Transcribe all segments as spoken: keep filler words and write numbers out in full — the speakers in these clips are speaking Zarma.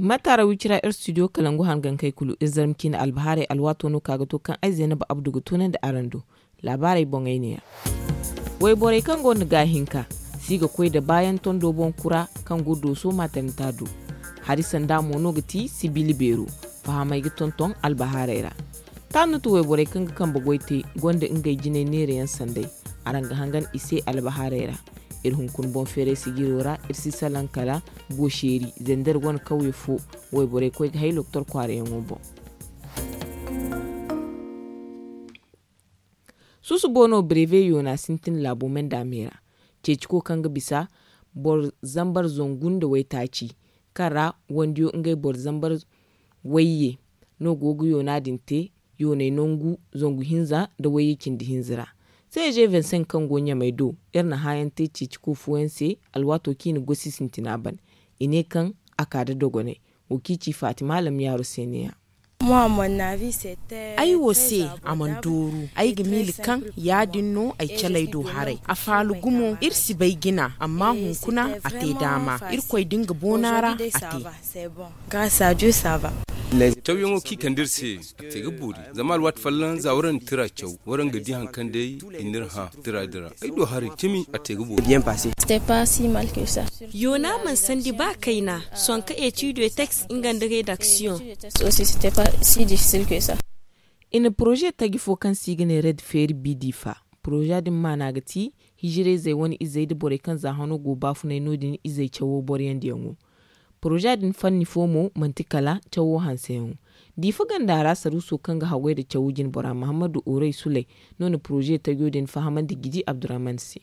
Mataara wicira ir studio kalangu hangankey kulu ir zarma ciine albahaarey alwaato no ka ga to kaŋ ay zaynaba abdu ga toonandi araŋ do. Laabaarey boŋey neeya. Wayborey kaŋ go nda gaahinka si ga koy nda baayaŋ tondo boŋ kura kaŋ go dooso maatarinta do. Hari sanda mo no ga ti sibiili beero. Fahamey ga tonton albahaarey ra. Taanut wayborey kaŋ ga kambe goy te gonda ngey jinay neerayaŋ sanday. Araŋ ga hangan i se albahaarey ra. Ir hunkuna boŋ feeray sijiro ra ir si salaŋ kala gooseeri zender wane kawye fo. Wayborey koy ga hay loktor kwaarayaŋo boŋ. Susubo no breve yoona sintin laabo menda me ra. Ceeciko kaŋ ga bisa boro zambar zangu nda waytaaci kaŋ ra wandiyo ngey boro zambar wayye no go ga yoona din te. Yooney nangu zangu hinza nda wayye cindi hinza ra. Seeje vingt-cinq kaŋ go ɲamey do, iri na hããyaŋ te ceeciko fooyaŋ se alwaato kaŋ i na gosi sintina ban. I ne kaŋ a ka nda dogonay. Wo kaŋ i ci faatima alamyaaro se neeya. Ay wo se a mana dooru. Ay ga miila kaŋ yaadin no ay caley do haray. A faala gumo iri si bay jina amma hunkuna a te daama. Irkoy da nga boona ra a te. Cawyaŋo kaŋ i kande iri se a te ga boori. Zama alwaati folloŋ za waraŋ na tira caw waraŋ ga di hari kaŋ day i n'iri hã tira din ra. Ay do haray cimi a te ga boori. Yoona mana sandi ba kayna. Sonka etude teks nga nda redaksiyoŋ. I na poroze taji fo kaŋ se i ga ne red feeri bi diifa. Poroze din maana ga ti hijirayzey wane izey nda borey kaŋ za hano go baafunay no- din izey cawo boroyandiyaŋo. Poroze din fanni fo mo manti kala cawo hanseyaŋo. Diifa ganda ra saruuso kaŋ ga haggoy nda cawo jinbora mahammadu oray suley no na poroze tajo din fahamandi gidi abdurrahman se.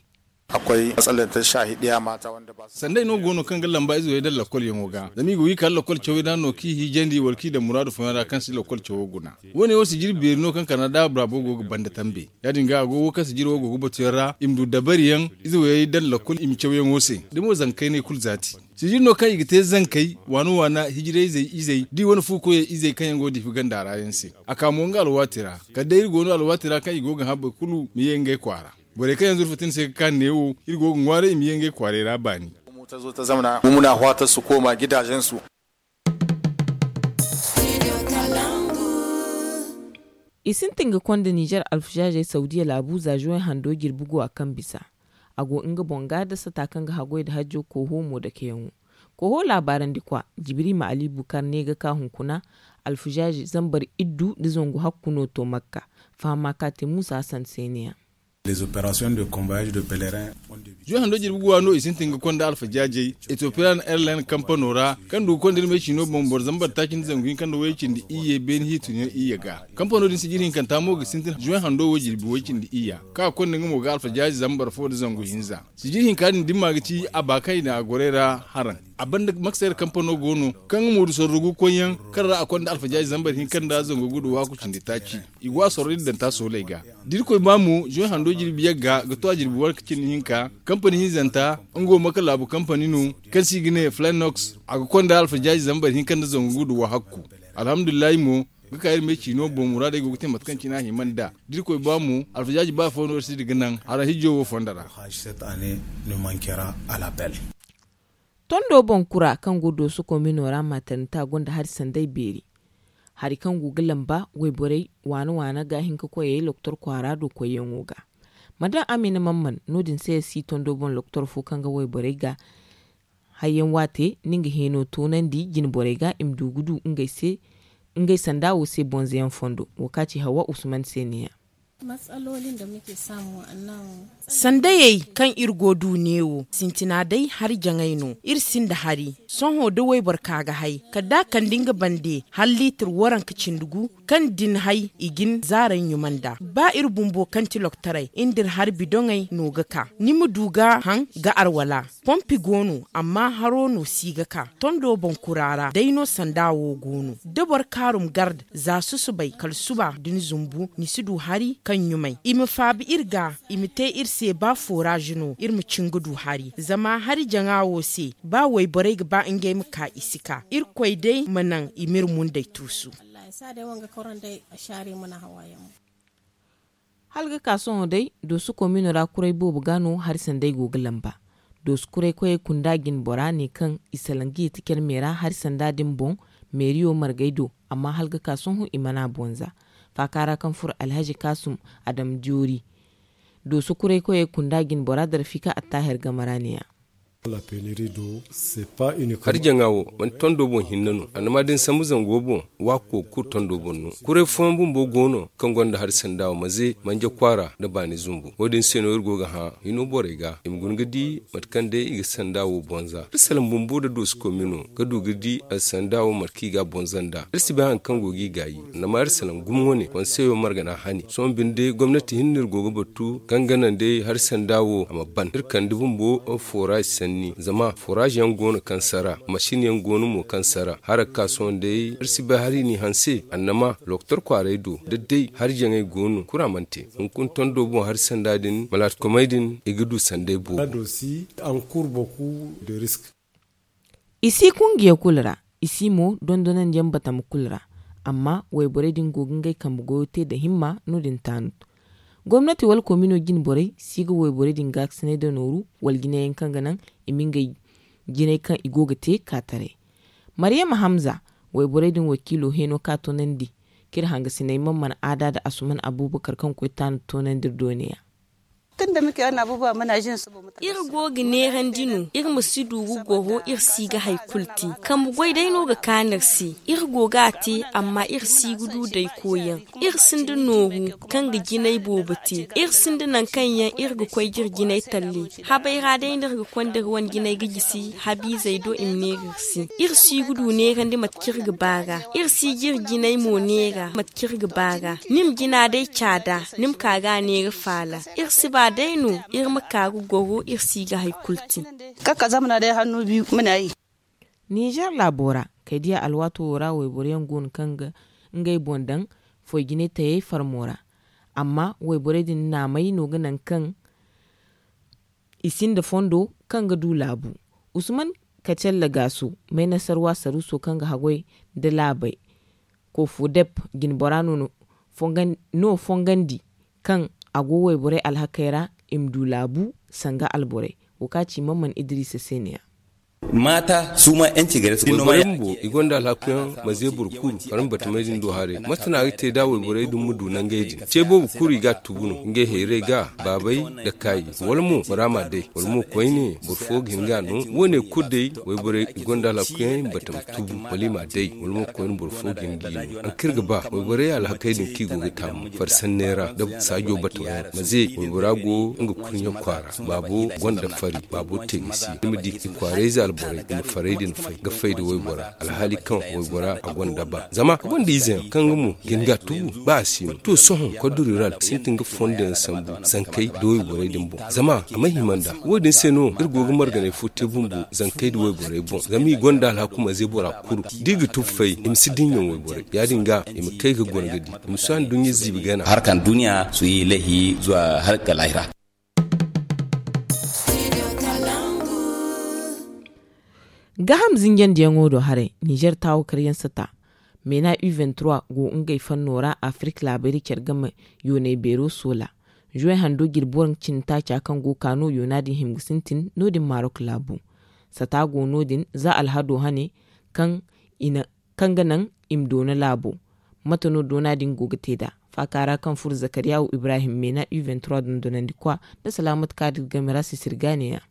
Sanday no go no kaŋ ga lamba ize wo yaŋ daŋ lakolyaŋo ga zama i go ga i kala lakol cawey ra no kaŋ i hiijandi wala kaŋ i daŋ muraadu fooyaŋ ra kaŋ si lakol cawo guna. Wo- ne wo sijiri beeri no kaŋ kanaada bora boobo go ga banda tambe. Ya- din ga a go wo kaŋ sijiri wo go ga batu yaŋ ra i ma du dabari yaŋ ize wo yaŋ i daŋ lakol i ma cawyaŋo se. Da mo zankey no i kulu zaati sijiri no kaŋ i ga te zankey waana waana hijirayzey izey da i wane fu koyey izey kaŋ yaŋ go diifa ganda ra yaŋ se. A ka mo nga alwaati ra kala day iri go no alwaati ra kaŋ i go ga hã boro kulu ma ye ngey kwaara. Borey kaŋ yaŋ zurfa tin se ga ka neewo iri go ga ŋwaaray i ma ye ngey kwaaray ra baani. I sintin ga konda nizer alfazaazey saudiya laabu za zuway hando jirbi guwa kaŋ bisa. A go nga boŋ ga da sata kaŋ ga haggoy nda hajjo kooho mo dakeyaŋo. Kooho laabaarandikwa jibrima ali bukar ne ga ka hunkuna alfazaazi zambar iddu nda zangu hakku no to makka. Fahama ka te muusa hasan se ne yaŋ. Zuwe hando jirbi guwa no i sintin ga konda alfajaajey etopiyan airline kampano ra kaŋ du ga konda irmey ciino boŋ boro zambar taaci nda zangu hinka nda way cindi iyye beene hiitunyaŋ iyye ga. Kampano din sijiri hinkanta mo ga sintin zuwe hando wo jirbi way cindi iyya kaŋ a konda nga mo ga alfajaaji zambar fo nda zangu hinza. Sijiri hinka din dimma ga ci a ba kaŋ i na a gorey ra haraŋ. A banda maksayra kampano go no kaŋ nga mo du sorro gu koyyaŋ kaŋ ra a konda alfajaaji zambar hinka nda zangu gudu waaku cindi taaci. I go a sorro din daŋ ta sooley ga. Da irkoy ba mo zuwe hando jirbi yagga ga to a jirbi wanka cindi hinka. Kampani hinzanta nga wo maka laabu kampani no kaŋ se i ga ne flanox. A ga konda alfajaaji zambar hinka nda zangu gudu wa hakku. Alhamdulillahi mo ga ka iri me ciino boŋ muraadey go ga te mate kaŋ cine a hima nd'a. Da irkoy ba mo alfajaaji ba fo no iri si di ga naŋ hara hijjo wo fondo ra. Tondo boŋ kura kaŋ go dooso komino ra maatarinta gonda hari sanday beeri. Hari kaŋ go ga lamba wayborey waana waana ga hin ka koyey loktor kwaara do koyyaŋo ga. Madam amina mamman no- din se si tondo boŋ loktor fo kaŋ ga wayborey ga hayyaŋ waate ni nga heeno toonandi jinborey ga i ma du ga du ngey se ngey sanda wo se bonzayaŋ fondo wo ka ci hawa usman se ne yaŋ. Sandayey kaŋ iri go du neewo sintina day hari jaŋay no. Iri sinda hari sohõ da wayboro ka ga hay kala da a kande nga bande hala liitir waranka cindi gu kaŋ din hay i ga ni zaaray ɲuma nd'a. Ba iri bumbo kaŋ ti loktaray iri nda iri hari bidoŋey no ga ka ni ma du ga haŋ ga arwala. Pompi go no amma haro no si ga ka tondo boŋ kura ra day no sanda wo go no da boro kaarum garda za susubay kala suba da ni zumbu ni si du hari kaŋ ɲumay i ma faabi iri ga. I ma te iri se ba foraaz no iri ma cin ga du hari zama hari jaŋa wo se ba wayborey ga ba ngey ma ka i si ka irkoy day ma naŋ i m'iri mundey tuusu. Hala ga ka sohõ day dooso komino ra kuray boobo ga no hari sanday go ga lamba. Doosu kuraykoyey kunda jine bora ne kaŋ i salaŋ ga yeeti care meera hari sanda din boŋ, meeriyo margay do. Amma hala ga ka sohõ i mana bonza. Faaka ra kaŋ furo alhazi kaasum, adam joori. Doosu kuraykoyey kunda jine bora darafika attaahir game ra ne- ya. Hari jaŋa wo manti tondo boŋ hinne no, annama da ni sambu zango boŋ, waako kulu tondo boŋ no. Kuray fooyaŋ bumbo go no kaŋ gonda hari sanda wo maze manje kwaara nda baani zumbu. Wo- din se no iri go ga hã hino borey ga i ma guna ga di mate kaŋ day i ga sanda wo bonza. Iri salaŋ bumbo nda doosu komi no ga du ga di alsanda wo mate kaŋ i ga a bonza nd'a. Iri si bay hari kaŋ go ga i gaayi. Annama iri salaŋ gumo wane konseyo margana hani sohõ binde gomnati hinne no iri go ga batu kaŋ ga naŋ day hari sanda wo a ma ban iri kande bumbo. Foraaz sanni zama foraaz yaŋ go no kaŋ sara masin yaŋ go no mo kaŋ sara hara ga ka sohõ day iri si bay hari n'i hanse annama lokotor kwaaray do da day hari jaŋay go no kura mana te. Hunkuna tondo boŋ hari sanda din malaatikomey din i ga du sanday boobo. I si kungiya kulu ra, i si mo dondonandiyaŋ batama kulu ra. Amma wayborey din go ga ngey kambe goyo te nda himma no- din taanu. Gomnati wala komino jine borey si ga wayborey din gaakasinay nda nooru wala jinay yaŋ kaŋ ga naŋ i ma ngey jinay kaŋ i go ga te ka taray. Maryama hamza, wayborey din wakiilo heeno ka toonandi kaŋ iri hangasiney man mana aada nda asuman abuubakar kaŋ koy taanu toonandi iri do ne- ya. Iri go ga neerandi no iri ma si du ga goro iri si ga hari kulu te. Kambe goy day no ga kaanu iri se. Iri go ga a te amma iri si ga du day koyyaŋ. Iri sinda nooru kaŋ ga jinay boobo te. Iri sinda nangu kaŋ yaŋ iri ga koy ga iri jinay talle. Habay ra day no iri ga konda iri wane jinay ga gisi habiizey do i ma neera iri se. Iri si ga du neerandi mate kaŋ iri ga ba ra. Iri si ga iri jinay mo neera mate kaŋ iri ga ba ra. Ni ma jina day caada ni ma ka ga a neera faala. Iri si ba day no iri ma ka ga goro iri si ga hari kulu te. Ninzeer laabo ra kay diya alwaato wo ra wayboro yaŋ go no kaŋ ga ngey boŋ daŋ foy jinay tayey farmo ra. Amma wayborey din naamey no ga naŋ kaŋ i sinda fondo kaŋ ga du laabu. Usman kacalla gaaso, maynasarwa saruuso kaŋ ga haggoy nda laabey kofodep jinbora no fongandi kaŋ a go wayborey alhakey ra i ma du laabu sanga alborey. Wo kaŋ a ci mamman idiriisa se ne- ya. Maata suuma yaŋ ci gare se. Wayborey bumbo i gonda alhakuyaŋ ma ze boro kulu kala ma batamey din do haray mate no a ga te da wayborey din ma du nangey din ce boobo kulu i ga a tubu no ngey hayrey ga baabey nda kaayi wala mo bora ma a day wala mo koyne boro fo ga hin ga a no. Wo- ne kulu day wayborey i gonda alhakuyaŋ i ma batama tubu wala i ma a day wala mo koyne boro fo ga hin ga i no. Hari kaŋ iri ga ba wayborey alhakey din kaŋ i go ga taamu farsanney ra nda saajo batama yaŋ ma ze waybora go nga kurɲe kwaara. Baabo gonda fari baabo te ga si ni ma di i kwaarayze alborey i ma farey din fay ga fay nda waybora alhaali kaŋ waybora a gonda ba zama a gonda izeyaŋ kaŋ nga mo ga hin ga a tubu ba a si no to sohõ kod rural sintin ga fondo yaŋ sambu zankey nda wayborey din boŋ zama a ma hima nd'a. Wo- din se no iri go ga marganay fo te bumbo zankey nda wayborey boŋ zama i gonda alhaku ma ze bora kulu da i ga tubu fay i ma si dinya wayborey ya- din ga i ma kay ga goro ga di i ma si handuɲɲa ziibi gana. Harka nda duɲɲa suyi laihi zuwa har ga lahira. Gaaham zinjandiyaŋo do haray nizer taawo karyaŋ sata meena u vingt-trois go ngey fanno ra afirik laabari care game yoonay beero soola. Zuwey hando jirbi waranka cindi taaca kaŋ go ga ka no yoona din hima ga sintin no- din marok laabu. Sata go no- din za alhado hane kaŋ i na kaŋ ga naŋ i ma doona laabo. Mate no doona din go ga te nd'a? Faaka ra kaŋ furo zakariyahu ibrahim meena u vingt-trois dondonandikwa nda salaamat kaadir game ra sisiri ga ne- ya.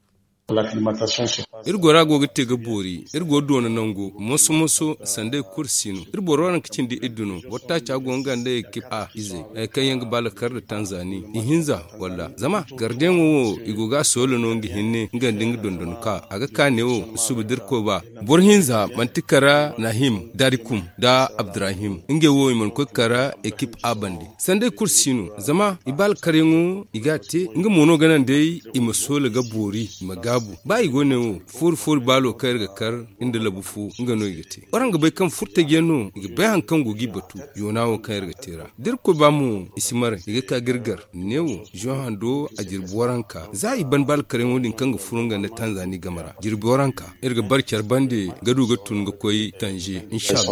Iri gora go ga te ga boori iri go doona nango moso moso sanda i kulu si no iri boro waranka cindi iddu no boro taaca go nga nda ekip a izey hari kaŋ yaŋ ga ba lakar nda tanzani ihinza walla zama gardiyaŋo wo i go ga a soola no nga hinne nga nda nga dondon ka a ga ka neewo suba da iri koy ba. Boro hinza manti kara nahim darikum nda abdirahim ngey wo i mana koy kara ekip a bande. Sanday kulu si no zama i ba alkaryaŋo i ga a te nga mo no ga naŋ day i ma soola ga boori i ma gaabu ba i go ne wo foori foori baalo kaŋ iri ga kar nda labu fo nga no i ga te. Waraŋ ga bay kaŋ furtajiyaŋ no i ga bay hari kaŋ go ga i batu yoona wo kaŋ iri ga te ra da iri koy ba mo i si maray i ga ka ga iri gar ne wo zuwan hando a jirbi waranka za i ban ba alkaryaŋo din kaŋ ga furo nga nda tanzani game ra jirbi waranka iri ga bare care bande ga du ga tun ga koy tanje inshallah.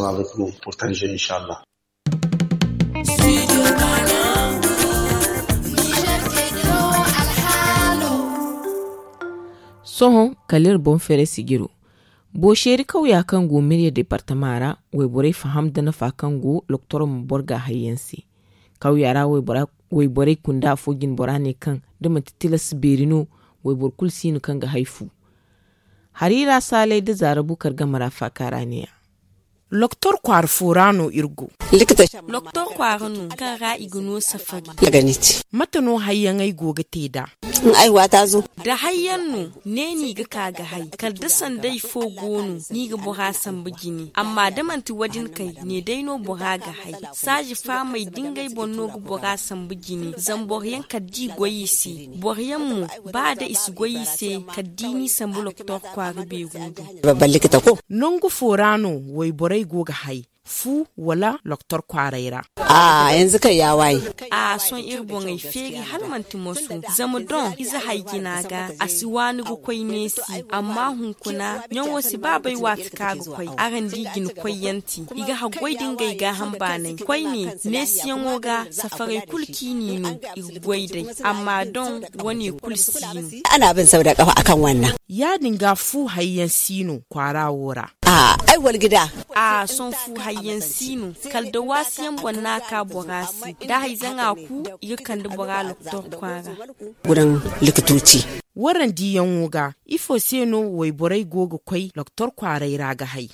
Sohõ kala iri boŋ feeray sijiro. Booseeri kawya kaŋ go mirya deepartama ra, wayborey faham nda nafa kaŋ go loktor ma boro ga hayyaŋ se. Kawya ra wayborey kunda afo jine bora ne kaŋ da manti tilas beeri no, wayboro kulu si no kaŋ ga hay fu. Hari ra saalay nda zaara bukar game ra faaka ra ne- ya. Loktor kwaara fo ra no iri go. Loktor kwaara no kaŋ ra i ga no safari. Mate no hayyaŋey go ga te nd'a? Da hayyaŋ no, ne no i ga ka ga hay kala da sanday fo go no, no i ga bora sambu jine. Amma da manti wo- din kay, ne day no bora ga hay. Saazi faamey da ngey boŋ no ga bora sambu jine zama boro yaŋ kala da i goy i se. Boro yaŋ mo, ba da i si goy i se, kala da i n'i sambu loktor kwaara beero do. Nangu fo ra no wayborey go ga hay, fu wala loktor kwaaray ra? A sohõ iri boŋey feeri hala manti moso. Zama doŋ ize hay jina ga a si waani ga koy neesi. Amma hunkuna ɲaŋo si ba bay waati kaŋ a ga koy. Araŋ di jina koyyaŋ te i ga haggoy da ngey gaaham baanay koyne. Neesiyaŋo ga safaray kulu kaŋ i n'i no, i ga goy day. Amma doŋ wane kulu si no. Ya- din ga fu hayyaŋ si no kwaara wo ra? Ay wala ga da. A sohõ fu hayyaŋ si no. Kala da waasiyaŋ boŋ no a ka bora se da hayzaŋa ku, i ga kande bora loktor kwaara. Waraŋ diyaŋo ga, ifo se no wayborey go ga koy loktor kwaaray ra ga hay?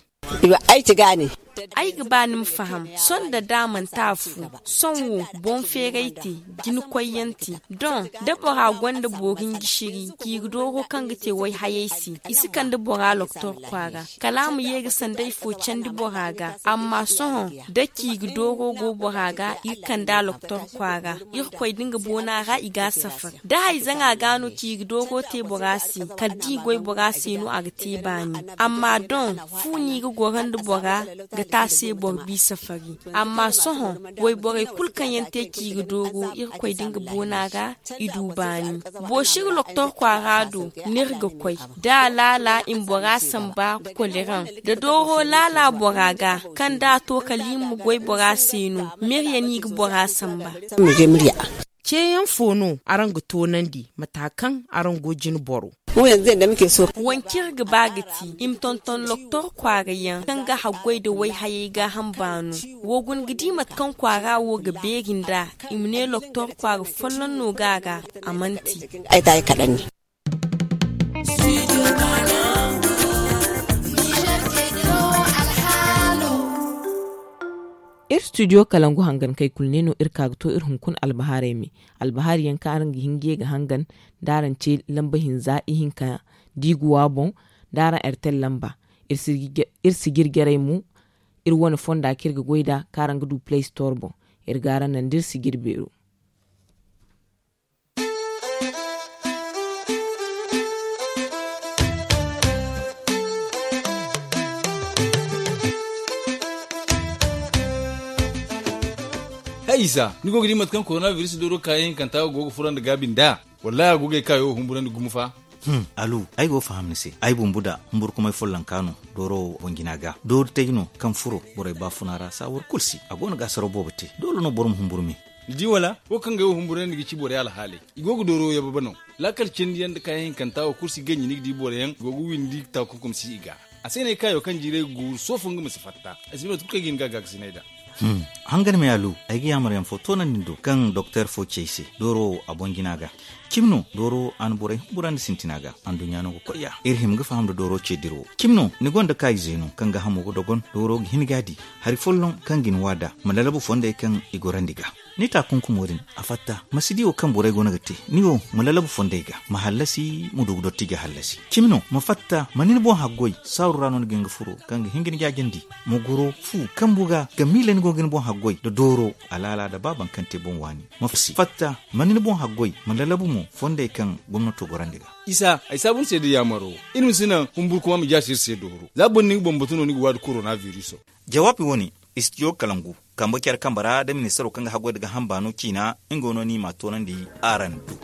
Ay ga ba ni ma faham. Sohõ da da manti a fu, sohõ wo boŋ feeray te, jina koyyaŋ te. Doŋ da bora gonda boori ngisiri ciiri dooro kaŋ ga te wayhayey se, i si kande bora loktor kwaara. Kala a ma ye ga sanday fo candi bora ga. Amma sohõ da ciiri dooro go bora ga, i ga kand'a loktor kwaara. Irkoy da nga boona ra i g'a safar. Da hayzaŋa ga no ciiri dooro te bora se, kala da i goy bora se no a ga te baani. Amma doŋ, fu no i ga goro nda bora ga te a se boro bisa fari. Amma sohõ, wayborey kulu kaŋ yaŋ te ciiri dooro, irkoy da nga boona ra, i du baani. Boosiri loktor kwaara do no iri ga koy. Da a laala i ma bora samba koleraŋ, da dooro laala bora ga, kaŋ da a to kala i ma goy bora se no, mirya no i ga bora samba. Ceeyaŋ fo no araŋ ga toonandi mata kaŋ araŋ go jine boro? Waŋ kaŋ iri ga ba ga ti i ma tonton loktor kwaara yaŋ kaŋ ga haggoy nda wayhayey gaaham baano. Wo guna ga di mate kaŋ kwaara wo ga beeri nd'a, i ma ne loktor kwaara folloŋ no ga a ga. A mana te. Iri studio kalangu hangankey kulu ne no iri ka ga to iri hunkuna albahaarey me. Albahaari yaŋ kaŋ araŋ ga hin ga ye ga hangan da araŋ ce lamba hinza ihinka diiguwa boŋ, da araŋ ertel lamba. Iri si jirjarey mo iri wane fonda kaŋ iri ga goy nd'a kaŋ araŋ ga du play store boŋ. Iri ga araŋ naŋ da iri si jirbeero. Hay isa, ni go ga di mate kaŋ koronabiris dooro kaayaŋ hinkanta go ga furo nda gaabi nd'a? Wallahi a go ga ay kaayo humburandi gumo fa. Alu, ay go ga faham ni se. Ay bumbu da humburkumay follonka no dooro wo boŋ jina ga. Doori taji no kaŋ furo borey baafuna ra saawar kulu se. A go no ga asaraw boobo te. Doole no boro ma humburu me. Ni di wala? Wo kaŋ ga ay wo humburandi ga ci borey alhaaley, i go ga dooro yababa no. Laakal cindi yaŋ nda kaayaŋ hinkanta wo kulu si ganji ni ga di boro yaŋ go ga windi taakunkum si i ga. A se no ay kaayo kaŋ jiiray ga guuru soofo nga ma si fatta. Ay si bay mate kulu kaŋ ay ga hin ga a gaakasinay nd'a. Hangan me alu, ay ga yaamar yaŋ fo toonandi ni do kaŋ doktor fo ci ay se dooro wo a boŋ jina ga. Cimi no dooro a na borey humburandi sintina ga. Anduɲɲa no ga koy ya iri hima ga faham nda dooro ce dira wo. Cimi no ni gonda kaayize no kaŋ ga hamo ga dogon dooro ga hin ga a di. Hari folloŋ kaŋ ga ni waada ma lalabu fondey kaŋ i gorandi ga. Ni taakunkumo din a fatta ma si di wo kaŋ borey go no ga te. Ni wo ma lalabu fondey ga ma hallasi ma du ga dottija hallasi. Cimi no ma fatta ma ni ni boŋ haggoy saaru ra no ni ga hin ga furo kaŋ ga hin ga ni jaajandi. Ma goro fu kambu ga ga miila ni go ga ni boŋ haggoy nda dooro alaala nda ba baŋ kaŋ te boŋ waani. Ma fatta ma ni ni boŋ haggoy ma lalabu mo fondey kaŋ gomnato gorandi ga. Isa ay saabu ni se da yaamaro. Iri ma si naŋ humburkuma ma jaasi iri se dooro za boro na nga boŋ batu no ni ga waadi korona viriso. Jawaabi wo-ne, istijo kalangu kambe care kambe ra da ministaro kaŋ ga haggoy nda gaaham baano ciina. Nga no ni m'a toonandi araŋ do.